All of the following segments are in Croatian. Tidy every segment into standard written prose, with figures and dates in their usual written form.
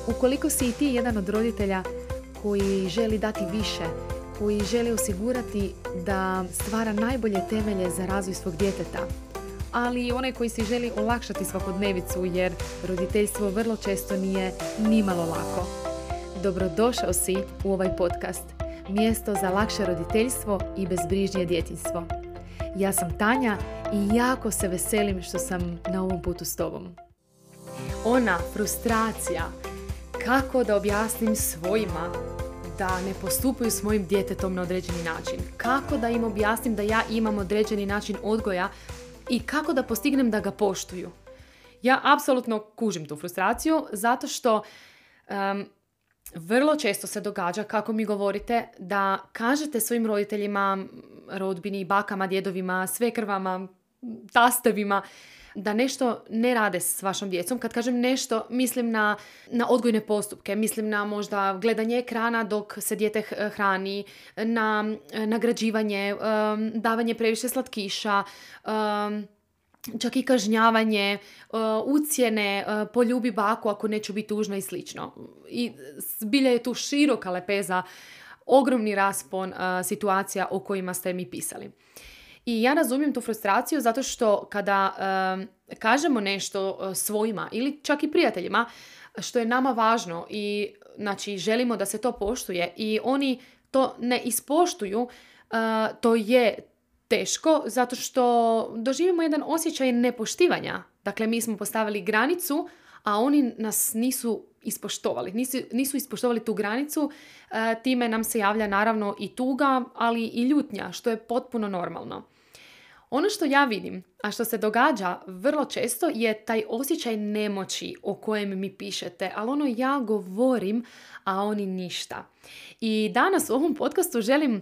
Ukoliko si i ti jedan od roditelja koji želi dati više, koji želi osigurati da stvara najbolje temelje za razvoj svog djeteta, ali i onaj koji si želi olakšati svakodnevicu jer roditeljstvo vrlo često nije nimalo lako. Dobrodošao si u ovaj podcast, mjesto za lakše roditeljstvo i bezbrižnije djetinjstvo. Ja sam Tanja i jako se veselim što sam na ovom putu s tobom. Ona frustracija, kako da objasnim svojima da ne postupaju s mojim djetetom na određeni način, kako da im objasnim da ja imam određeni način odgoja i kako da postignem da ga poštuju. Ja apsolutno kužim tu frustraciju zato što vrlo često se događa, kako mi govorite, da kažete svojim roditeljima, rodbini, bakama, djedovima, svekrvama, tastevima, da nešto ne rade s vašom djecom. Kad kažem nešto, mislim na odgojne postupke, mislim na možda gledanje ekrana dok se dijete hrani, na nagrađivanje, davanje previše slatkiša, čak i kažnjavanje, ucjene, poljubi baku ako neću biti tužna i slično. I zbilja je tu široka lepeza, ogromni raspon situacija o kojima ste mi pisali. I ja razumijem tu frustraciju zato što kada kažemo nešto svojima ili čak i prijateljima što je nama važno i znači želimo da se to poštuje i oni to ne ispoštuju, to je teško zato što doživimo jedan osjećaj nepoštivanja. Dakle, mi smo postavili granicu, a oni nas nisu ispoštovali. Nisu ispoštovali tu granicu, time nam se javlja naravno i tuga, ali i ljutnja, što je potpuno normalno. Ono što ja vidim, a što se događa vrlo često, je taj osjećaj nemoći o kojem mi pišete, ali ono ja govorim, a oni ništa. I danas u ovom podcastu želim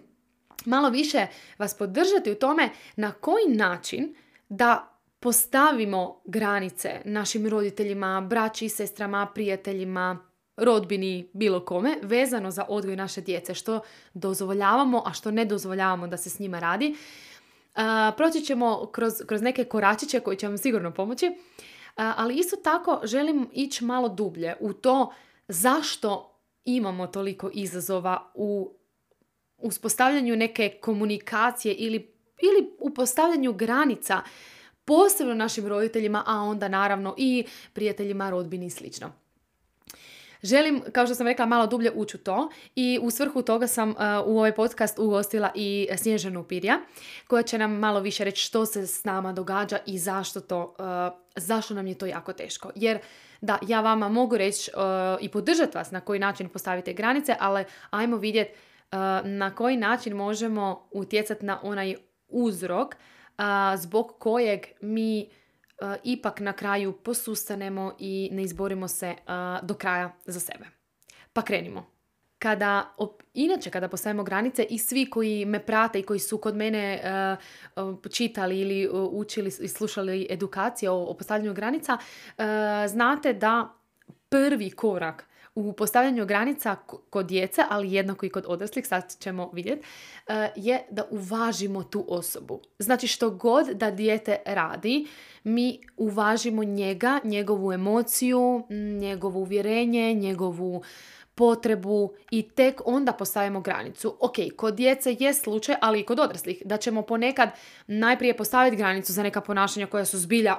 malo više vas podržati u tome na koji način da postavimo granice našim roditeljima, braći, sestrama, prijateljima, rodbini, bilo kome, vezano za odgoj naše djece, što dozvoljavamo, a što ne dozvoljavamo da se s njima radi. Proći ćemo kroz neke koračiće koji će vam sigurno pomoći, ali isto tako želim ići malo dublje u to zašto imamo toliko izazova u uspostavljanju neke komunikacije ili u postavljanju granica, posebno našim roditeljima, a onda naravno i prijateljima, rodbini i slično. Želim, kao što sam rekla, malo dublje ući u to i u svrhu toga sam u ovaj podcast ugostila i Snježanu Pirja, koja će nam malo više reći što se s nama događa i zašto nam je to jako teško. Jer da, ja vama mogu reći i podržati vas na koji način postavite granice, ali ajmo vidjeti na koji način možemo utjecati na onaj uzrok zbog kojeg mi ipak na kraju posustanemo i ne izborimo se do kraja za sebe. Pa krenimo. Inače, kada postavimo granice i svi koji me prate i koji su kod mene čitali ili učili i slušali edukacije o postavljanju granica, znate da prvi korak u postavljanju granica kod djece, ali jednako i kod odraslih, sad ćemo vidjeti, je da uvažimo tu osobu. Znači što god da dijete radi, mi uvažimo njega, njegovu emociju, njegovo uvjerenje, njegovu potrebu i tek onda postavimo granicu. Ok, kod djece je slučaj, ali i kod odraslih, da ćemo ponekad najprije postaviti granicu za neka ponašanja koja su zbilja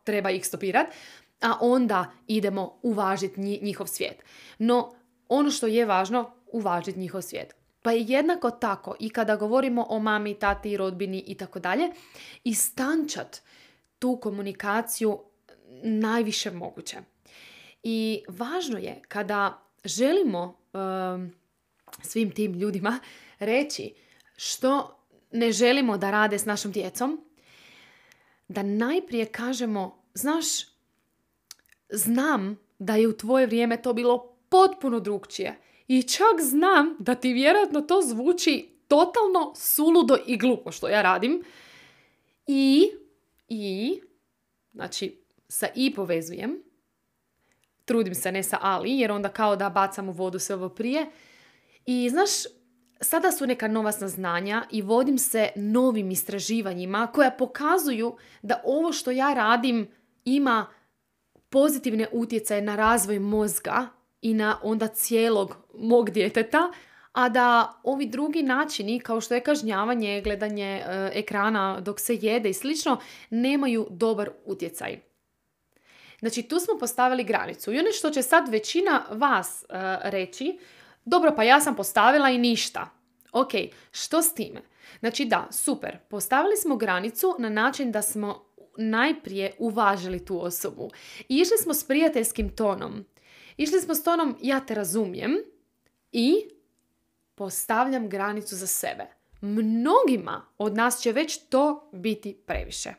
treba ih stopirati, a onda idemo uvažiti njihov svijet. No, ono što je važno, uvažiti njihov svijet. Pa je jednako tako i kada govorimo o mami, tati, rodbini i tako dalje, istančat tu komunikaciju najviše moguće. I važno je kada želimo svim tim ljudima reći što ne želimo da rade s našom djecom, da najprije kažemo, znaš, znam da je u tvoje vrijeme to bilo potpuno drukčije i čak znam da ti vjerojatno to zvuči totalno suludo i glupo što ja radim i znači sa i povezujem, trudim se ne sa ali jer onda kao da bacam u vodu sve ovo prije i znaš, sada su neka nova saznanja i vodim se novim istraživanjima koja pokazuju da ovo što ja radim ima pozitivne utjecaje na razvoj mozga i na onda cijelog mog djeteta, a da ovi drugi načini, kao što je kažnjavanje, gledanje ekrana dok se jede i slično, nemaju dobar utjecaj. Znači, tu smo postavili granicu. I ono što će sad većina vas reći, dobro, pa ja sam postavila i ništa. Ok, što s time? Znači da, super, postavili smo granicu na način da smo najprije uvažili tu osobu. I išli smo s prijateljskim tonom. Išli smo s tonom, ja te razumijem i postavljam granicu za sebe. Mnogima od nas će već to biti previše.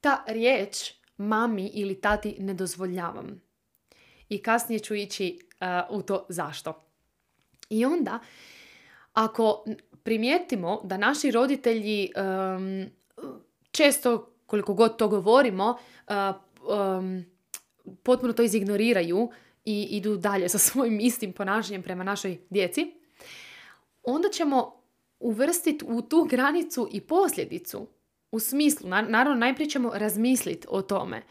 Ta riječ mami ili tati ne dozvoljavam. I kasnije ću ići u to zašto. I onda, ako primijetimo da naši roditelji često, koliko god to govorimo, potpuno to izignoriraju i idu dalje sa svojim istim ponašanjem prema našoj djeci, onda ćemo uvrstiti u tu granicu i posljedicu. U smislu, naravno najprije ćemo razmisliti o tome.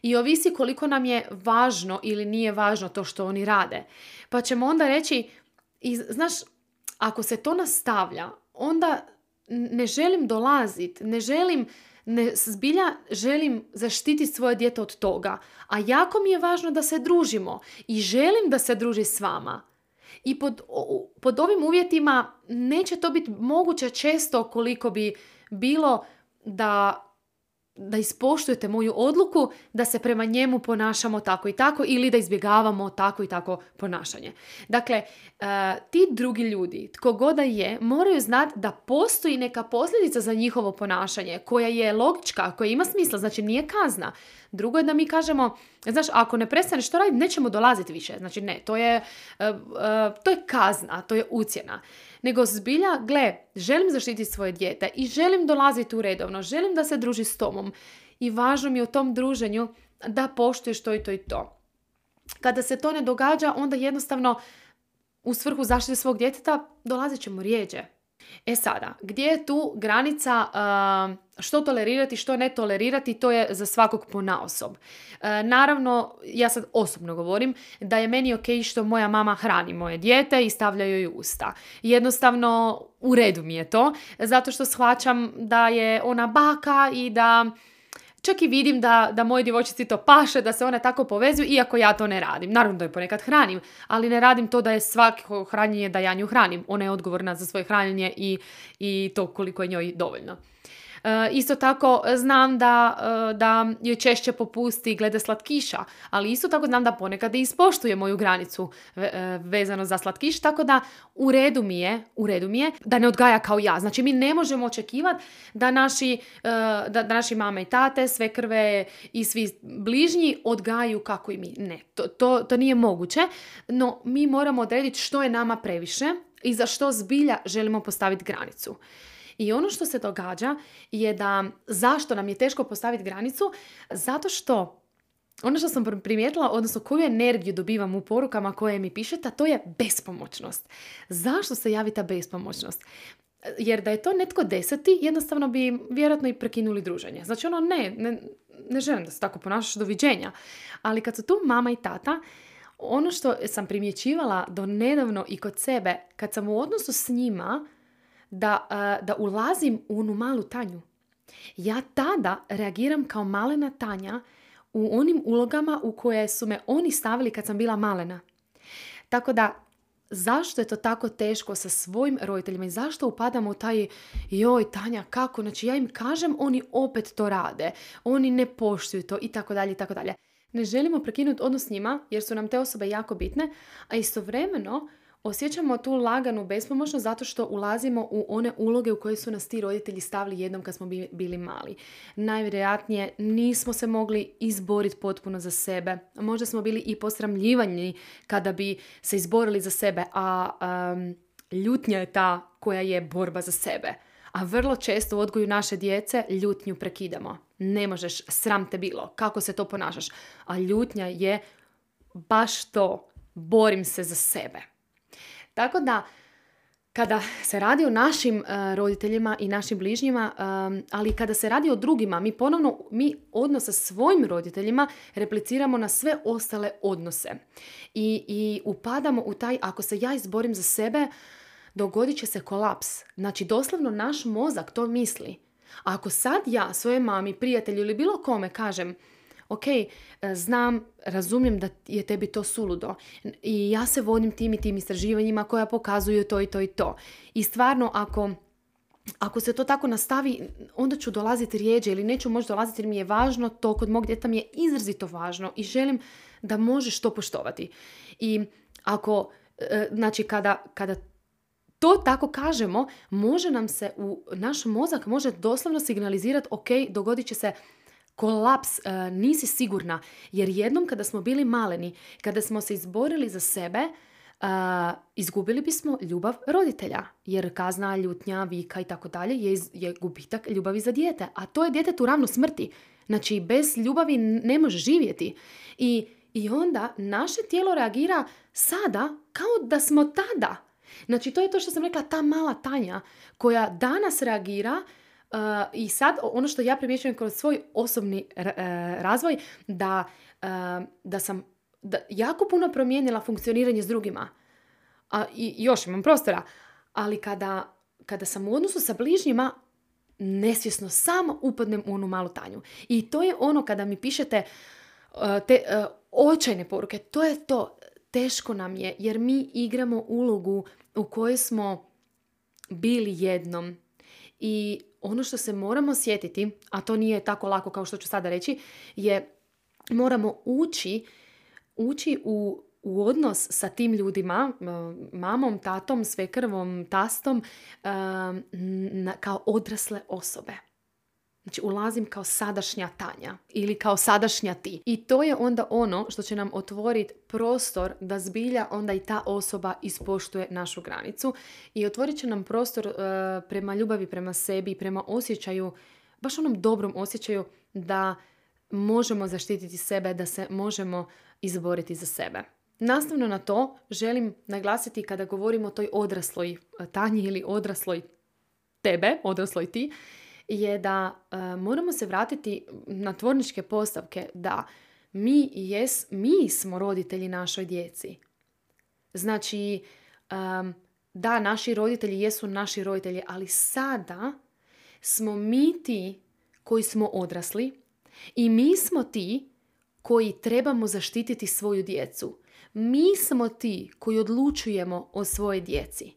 I ovisi koliko nam je važno ili nije važno to što oni rade. Pa ćemo onda reći, znaš, ako se to nastavlja, onda ne želim dolaziti, zbilja želim zaštititi svoje dijete od toga. A jako mi je važno da se družimo i želim da se druži s vama. I pod ovim uvjetima neće to biti moguće često koliko bi bilo da ispoštujete moju odluku da se prema njemu ponašamo tako i tako ili da izbjegavamo tako i tako ponašanje. Dakle, ti drugi ljudi, tko god da je, moraju znati da postoji neka posljedica za njihovo ponašanje koja je logička, koja ima smisla, znači nije kazna. Drugo je da mi kažemo, znaš, ako ne prestaneš to raditi, nećemo dolaziti više. Znači ne, to je kazna, to je ucjena. Nego zbilja, gle, želim zaštititi svoje dijete i želim dolaziti u redovno, želim da se druži s tobom i važno mi je u tom druženju da poštuješ to i to i to. Kada se to ne događa, onda jednostavno u svrhu zaštite svog djeteta dolazit ćemo rijeđe. E sada, gdje je tu granica što tolerirati, što ne tolerirati, to je za svakog ponaosob. Naravno, ja sad osobno govorim da je meni ok što moja mama hrani moje dijete i stavlja joj u usta. Jednostavno, u redu mi je to, zato što shvaćam da je ona baka i da čak i vidim da moje djevojčici to paše, da se one tako povezuju, iako ja to ne radim. Naravno da je ponekad hranim, ali ne radim to da je svako hranjenje da ja nju hranim. Ona je odgovorna za svoje hranjenje i to koliko je njoj dovoljno. Isto tako znam da joj češće popusti glede slatkiša, ali isto tako znam da ponekad i ispoštuje moju granicu vezano za slatkiš, tako da u redu mi je da ne odgaja kao ja. Znači mi ne možemo očekivati da naši mame i tate, svekrve i svi bližnji odgajaju kako i mi. Ne, to nije moguće, no mi moramo odrediti što je nama previše i za što zbilja želimo postaviti granicu. I ono što se događa je da zašto nam je teško postaviti granicu? Zato što ono što sam primijetila, odnosno koju energiju dobivam u porukama koje mi pišete, to je bespomoćnost. Zašto se javi ta bespomoćnost? Jer da je to netko deseti, jednostavno bi vjerojatno i prekinuli druženje. Znači ne želim da se tako ponašaš, doviđenja. Ali kad su tu mama i tata, ono što sam primjećivala do nedavno i kod sebe, kad sam u odnosu s njima, da ulazim u onu malu Tanju. Ja tada reagiram kao malena Tanja u onim ulogama u koje su me oni stavili kad sam bila malena. Tako da, zašto je to tako teško sa svojim roditeljima i zašto upadamo u taj joj Tanja, kako? Znači ja im kažem, oni opet to rade. Oni ne poštuju to i tako dalje i tako dalje. Ne želimo prekinuti odnos s njima jer su nam te osobe jako bitne, a istovremeno osjećamo tu laganu bespomoćnost zato što ulazimo u one uloge u koje su nas ti roditelji stavili jednom kad smo bili mali. Najvjerojatnije nismo se mogli izboriti potpuno za sebe. Možda smo bili i posramljivani kada bi se izborili za sebe, a ljutnja je ta koja je borba za sebe. A vrlo često u odgoju naše djece ljutnju prekidamo. Ne možeš, sram te bilo, kako se to ponašaš. A ljutnja je baš to, borim se za sebe. Tako da, Kada se radi o našim roditeljima i našim bližnjima, ali kada se radi o drugima, mi odnos sa svojim roditeljima repliciramo na sve ostale odnose. I upadamo u taj, ako se ja izborim za sebe, dogodit će se kolaps. Znači, doslovno naš mozak to misli. A ako sad ja svojoj mami, prijatelju ili bilo kome kažem, ok, znam, razumijem da je tebi to suludo i ja se vodim tim i tim istraživanjima koja pokazuju to i to i to. I stvarno, ako se to tako nastavi, onda ću dolaziti rijeđe ili neću možda dolaziti jer mi je važno, to kod mog djeteta mi je izrazito važno i želim da možeš to poštovati. I ako, znači kada to tako kažemo, može nam se naš mozak može doslovno signalizirati, ok, dogodit će se kolaps, nisi sigurna. Jer jednom kada smo bili maleni, kada smo se izborili za sebe, izgubili bismo ljubav roditelja. Jer kazna, ljutnja, vika i tako dalje je gubitak ljubavi za dijete. A to je djetetu ravno smrti. Znači, bez ljubavi ne može živjeti. I onda naše tijelo reagira sada kao da smo tada. Znači, to je to što sam rekla, ta mala Tanja koja danas reagira. I sad, ono što ja primjećujem kroz svoj osobni razvoj, da sam jako puno promijenila funkcioniranje s drugima. I još imam prostora. Ali kada sam u odnosu sa bližnjima, nesvjesno samo upadnem u onu malu Tanju. I to je ono kada mi pišete te očajne poruke. To je to. Teško nam je jer mi igramo ulogu u kojoj smo bili jednom. I ono što se moramo sjetiti, a to nije tako lako kao što ću sada reći, je moramo ući u odnos sa tim ljudima, mamom, tatom, svekrvom, tastom, kao odrasle osobe. Znači, ulazim kao sadašnja Tanja ili kao sadašnja ti. I to je onda ono što će nam otvoriti prostor da zbilja onda i ta osoba ispoštuje našu granicu. I otvorit će nam prostor prema ljubavi, prema sebi, prema osjećaju, baš onom dobrom osjećaju da možemo zaštititi sebe, da se možemo izboriti za sebe. Nastavno na to želim naglasiti kada govorimo o toj odrasloj Tanji ili odrasloj tebe, odrasloj ti, je da moramo se vratiti na tvorničke postavke da mi smo roditelji našoj djeci. Znači, da, naši roditelji jesu naši roditelji, ali sada smo mi ti koji smo odrasli i mi smo ti koji trebamo zaštititi svoju djecu. Mi smo ti koji odlučujemo o svojoj djeci.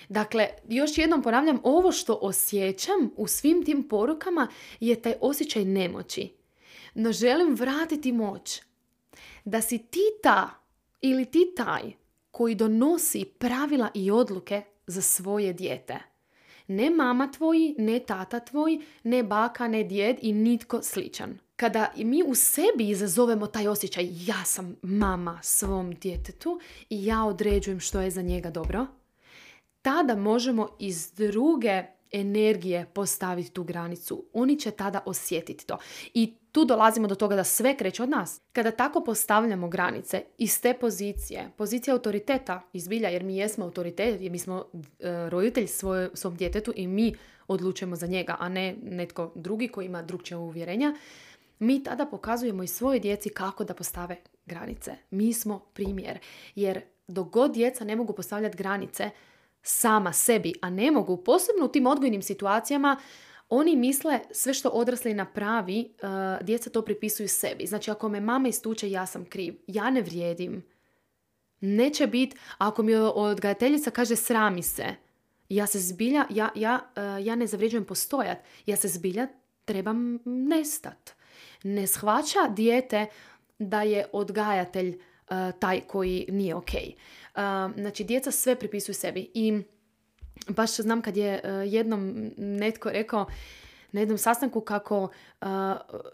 Dakle, još jednom ponavljam, ovo što osjećam u svim tim porukama je taj osjećaj nemoći. No želim vratiti moć. Da si ti ta ili ti taj koji donosi pravila i odluke za svoje dijete. Ne mama tvoji, ne tata tvoj, ne baka, ne djed i nitko sličan. Kada mi u sebi izazovemo taj osjećaj, ja sam mama svom djetetu i ja određujem što je za njega dobro, tada možemo iz druge energije postaviti tu granicu. Oni će tada osjetiti to. I tu dolazimo do toga da sve kreće od nas. Kada tako postavljamo granice iz te pozicije autoriteta izbilja, jer mi jesmo autoritet, jer mi smo roditelj svom djetetu i mi odlučujemo za njega, a ne netko drugi koji ima drugčije uvjerenja, mi tada pokazujemo i svojoj djeci kako da postave granice. Mi smo primjer. Jer dok god djeca ne mogu postavljati granice sama sebi, a ne mogu, posebno u tim odgojnim situacijama, oni misle sve što odrasli napravi, djeca to pripisuju sebi. Znači, ako me mama istuče, ja sam kriv. Ja ne vrijedim. Neće biti, ako mi odgajateljica kaže srami se, ja se zbilja, ja ne zavređujem postojat. Ja se zbilja trebam nestat. Ne shvaća dijete da je odgajatelj taj koji nije ok. Znači, djeca sve pripisuju sebi. I baš znam kad je jednom netko rekao na jednom sastanku kako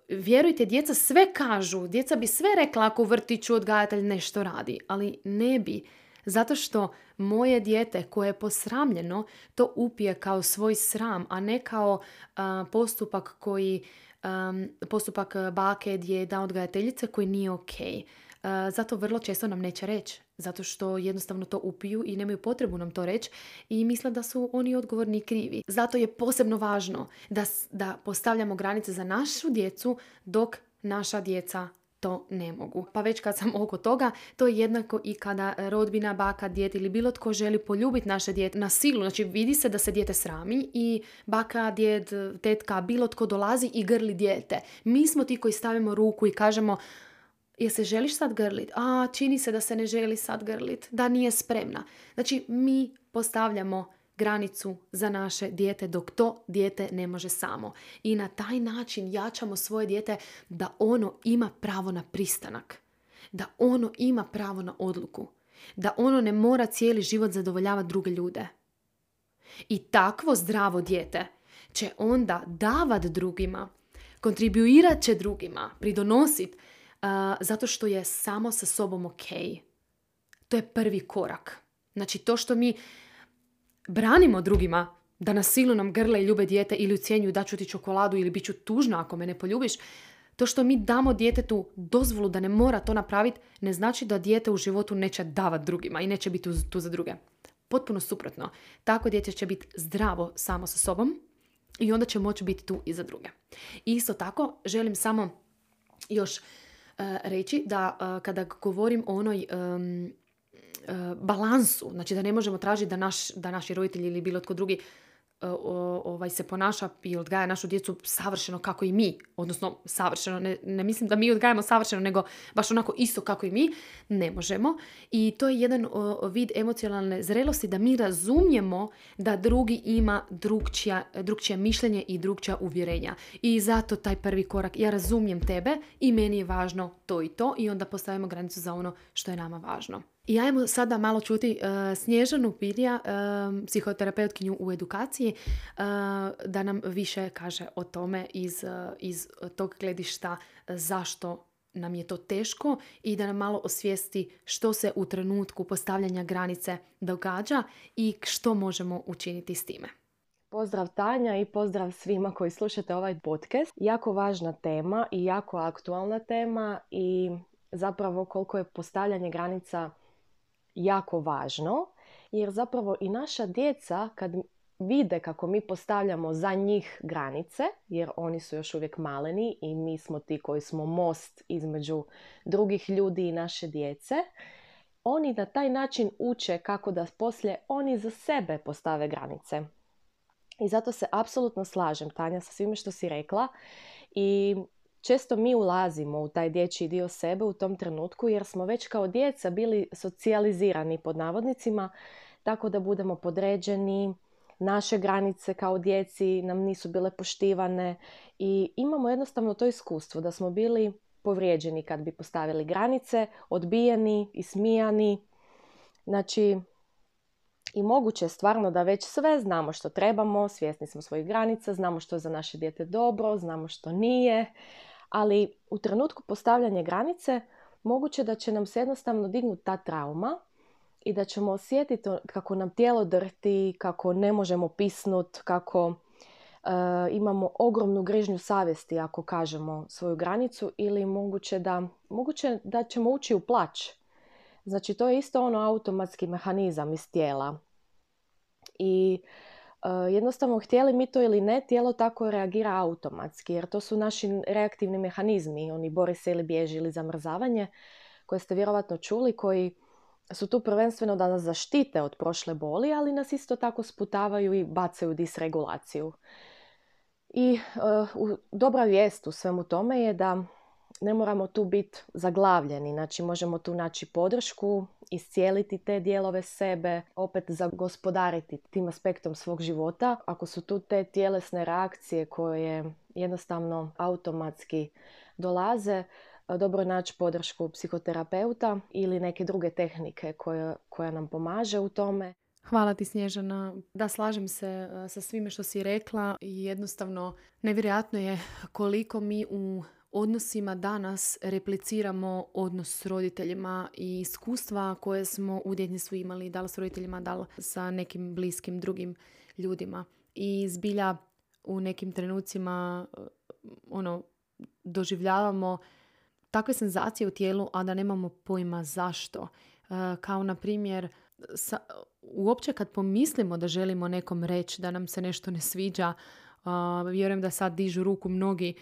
vjerujte, djeca sve kažu, djeca bi sve rekla ako u vrtiću odgajatelj nešto radi, ali ne bi. Zato što moje dijete koje je posramljeno to upije kao svoj sram, a ne kao postupak bake, djeda, odgajateljice koji nije ok. Zato vrlo često nam neće reći. Zato što jednostavno to upiju i nemaju potrebu nam to reći i misle da su oni odgovorni i krivi. Zato je posebno važno da postavljamo granice za našu djecu dok naša djeca to ne mogu. Pa već kad sam oko toga, to je jednako i kada rodbina, baka, djed ili bilo tko želi poljubiti naše dijete na silu. Znači vidi se da se dijete srami i baka, djed, tetka, bilo tko dolazi i grli dijete. Mi smo ti koji stavimo ruku i kažemo jel se želiš sad grlit? Čini se da se ne želi sad grlit, da nije spremna. Znači mi postavljamo granicu za naše dijete dok to dijete ne može samo. I na taj način jačamo svoje dijete da ono ima pravo na pristanak. Da ono ima pravo na odluku. Da ono ne mora cijeli život zadovoljavati druge ljude. I takvo zdravo dijete će onda davat drugima, kontribuirat će drugima, pridonosit zato što je samo sa sobom ok. To je prvi korak. Znači to što mi branimo drugima da na silu nam grle i ljube dijete ili ucjenjuju da ću ti čokoladu ili bit ću tužna ako me ne poljubiš, to što mi damo djetetu dozvolu da ne mora to napraviti ne znači da dijete u životu neće davati drugima i neće biti tu za druge. Potpuno suprotno. Tako dijete će biti zdravo samo sa sobom i onda će moći biti tu i za druge. I isto tako želim samo još reći da kada govorim o onoj balansu, znači da ne možemo tražiti da naši roditelji ili bilo tko drugi se ponaša i odgaja našu djecu savršeno kako i mi, odnosno savršeno, ne mislim da mi odgajamo savršeno, nego baš onako isto kako i mi, ne možemo. I to je jedan vid emocionalne zrelosti da mi razumijemo da drugi ima drugčije mišljenje i drugčija uvjerenja. I zato taj prvi korak, ja razumijem tebe i meni je važno to i to i onda postavimo granicu za ono što je nama važno. I ajmo sada malo čuti Snježanu Pilja, psihoterapeutkinju u edukaciji, da nam više kaže o tome iz tog gledišta zašto nam je to teško i da nam malo osvijesti što se u trenutku postavljanja granice događa i što možemo učiniti s time. Pozdrav Tanja i pozdrav svima koji slušate ovaj podcast. Jako važna tema i jako aktualna tema i zapravo koliko je postavljanje granica jako važno, jer zapravo i naša djeca kad vide kako mi postavljamo za njih granice, jer oni su još uvijek maleni i mi smo ti koji smo most između drugih ljudi i naše djece, oni na taj način uče kako da poslije oni za sebe postave granice. I zato se apsolutno slažem, Tanja, sa svime što si rekla i često mi ulazimo u taj dječji dio sebe u tom trenutku jer smo već kao djeca bili socijalizirani pod navodnicima tako da budemo podređeni, naše granice kao djeci nam nisu bile poštivane i imamo jednostavno to iskustvo da smo bili povrijeđeni kad bi postavili granice, odbijeni, ismijani. Znači, i moguće je stvarno da već sve znamo što trebamo, svjesni smo svojih granica, znamo što je za naše dijete dobro, znamo što nije, ali u trenutku postavljanja granice moguće da će nam se jednostavno dignuti ta trauma i da ćemo osjetiti kako nam tijelo drhti, kako ne možemo pisnut, kako imamo ogromnu grižnju savjesti ako kažemo svoju granicu ili moguće da ćemo ući u plać. Znači to je isto ono automatski mehanizam iz tijela. I jednostavno htjeli mi to ili ne, tijelo tako reagira automatski jer to su naši reaktivni mehanizmi, oni bori se ili bježi ili zamrzavanje koje ste vjerovatno čuli, koji su tu prvenstveno da nas zaštite od prošle boli, ali nas isto tako sputavaju i bacaju disregulaciju. I dobra vijest u svemu tome je da ne moramo tu biti zaglavljeni, znači možemo tu naći podršku, iscijeliti te dijelove sebe, opet zagospodariti tim aspektom svog života. Ako su tu te tjelesne reakcije koje jednostavno automatski dolaze, dobro je naći podršku psihoterapeuta ili neke druge tehnike koja nam pomaže u tome. Hvala ti, Snježana. Da, slažem se sa svime što si rekla i jednostavno nevjerojatno je koliko mi u odnosima danas repliciramo odnos s roditeljima i iskustva koje smo u djetinjstvu imali, da li s roditeljima, da li sa nekim bliskim drugim ljudima. I zbilja u nekim trenucima doživljavamo takve senzacije u tijelu, a da nemamo pojma zašto. Kao na primjer, uopće kad pomislimo da želimo nekom reći da nam se nešto ne sviđa, vjerujem da sad dižu ruku mnogi,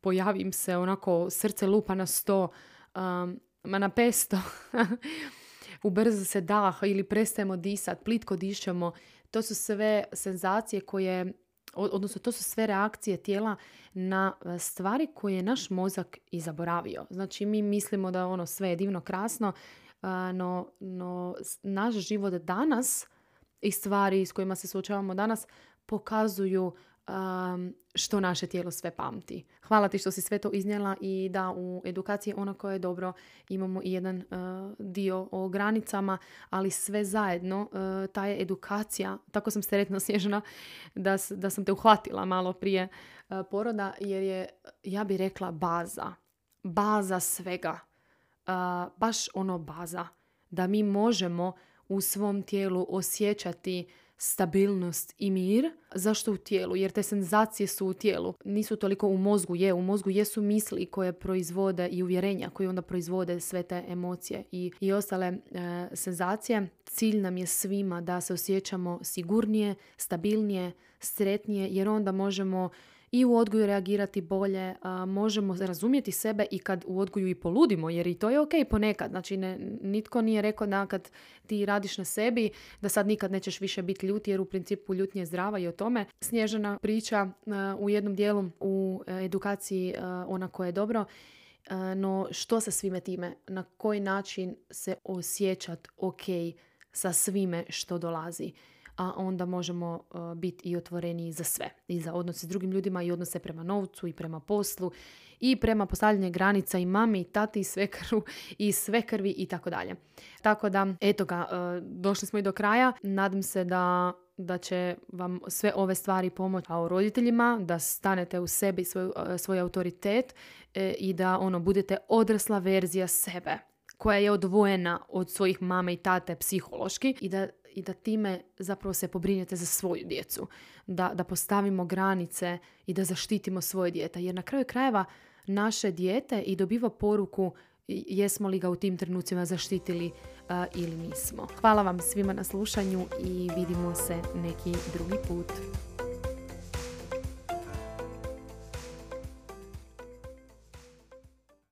pojavim se onako, srce lupa na 100, na 500, ubrza se dah ili prestajemo disati, plitko dišemo. To su sve senzacije koje, odnosno to su sve reakcije tijela na stvari koje je naš mozak i zaboravio. Znači mi mislimo da sve je divno, krasno, no naš život danas i stvari s kojima se suočavamo danas pokazuju što naše tijelo sve pamti. Hvala ti što si sve to iznijela i da u edukaciji ono koje je dobro imamo i jedan dio o granicama, ali sve zajedno ta je edukacija, tako sam sretna Snježana da sam te uhvatila malo prije poroda, jer je, ja bih rekla, baza svega. Baš baza. Da mi možemo u svom tijelu osjećati stabilnost i mir. Zašto u tijelu? Jer te senzacije su u tijelu. Nisu toliko u mozgu. U mozgu jesu misli koje proizvode i uvjerenja koje onda proizvode sve te emocije i ostale senzacije. Cilj nam je svima da se osjećamo sigurnije, stabilnije, sretnije, jer onda možemo i u odgoju reagirati bolje, možemo razumjeti sebe i kad u odgoju i poludimo, jer i to je ok ponekad. Znači, nitko nije rekao da kad ti radiš na sebi, da sad nikad nećeš više biti ljut, jer u principu ljutnja je zdrava i o tome. Snježana priča u jednom dijelu u edukaciji ona koja je dobro, no što sa svime time? Na koji način se osjećati ok sa svime što dolazi? A onda možemo biti i otvoreni za sve. I za odnose s drugim ljudima, i odnose prema novcu, i prema poslu, i prema postavljanju granica i mami, i tati, i svekru, i svekrvi, i tako dalje. Tako da, eto ga, došli smo i do kraja. Nadam se da će vam sve ove stvari pomoći kao roditeljima, da stanete u sebi svoj autoritet i da budete odrasla verzija sebe, koja je odvojena od svojih mame i tate psihološki i da time zapravo se pobrinete za svoju djecu. Da postavimo granice i da zaštitimo svoje dijete. Jer na kraju krajeva naše dijete i dobiva poruku jesmo li ga u tim trenucima zaštitili ili nismo. Hvala vam svima na slušanju i vidimo se neki drugi put.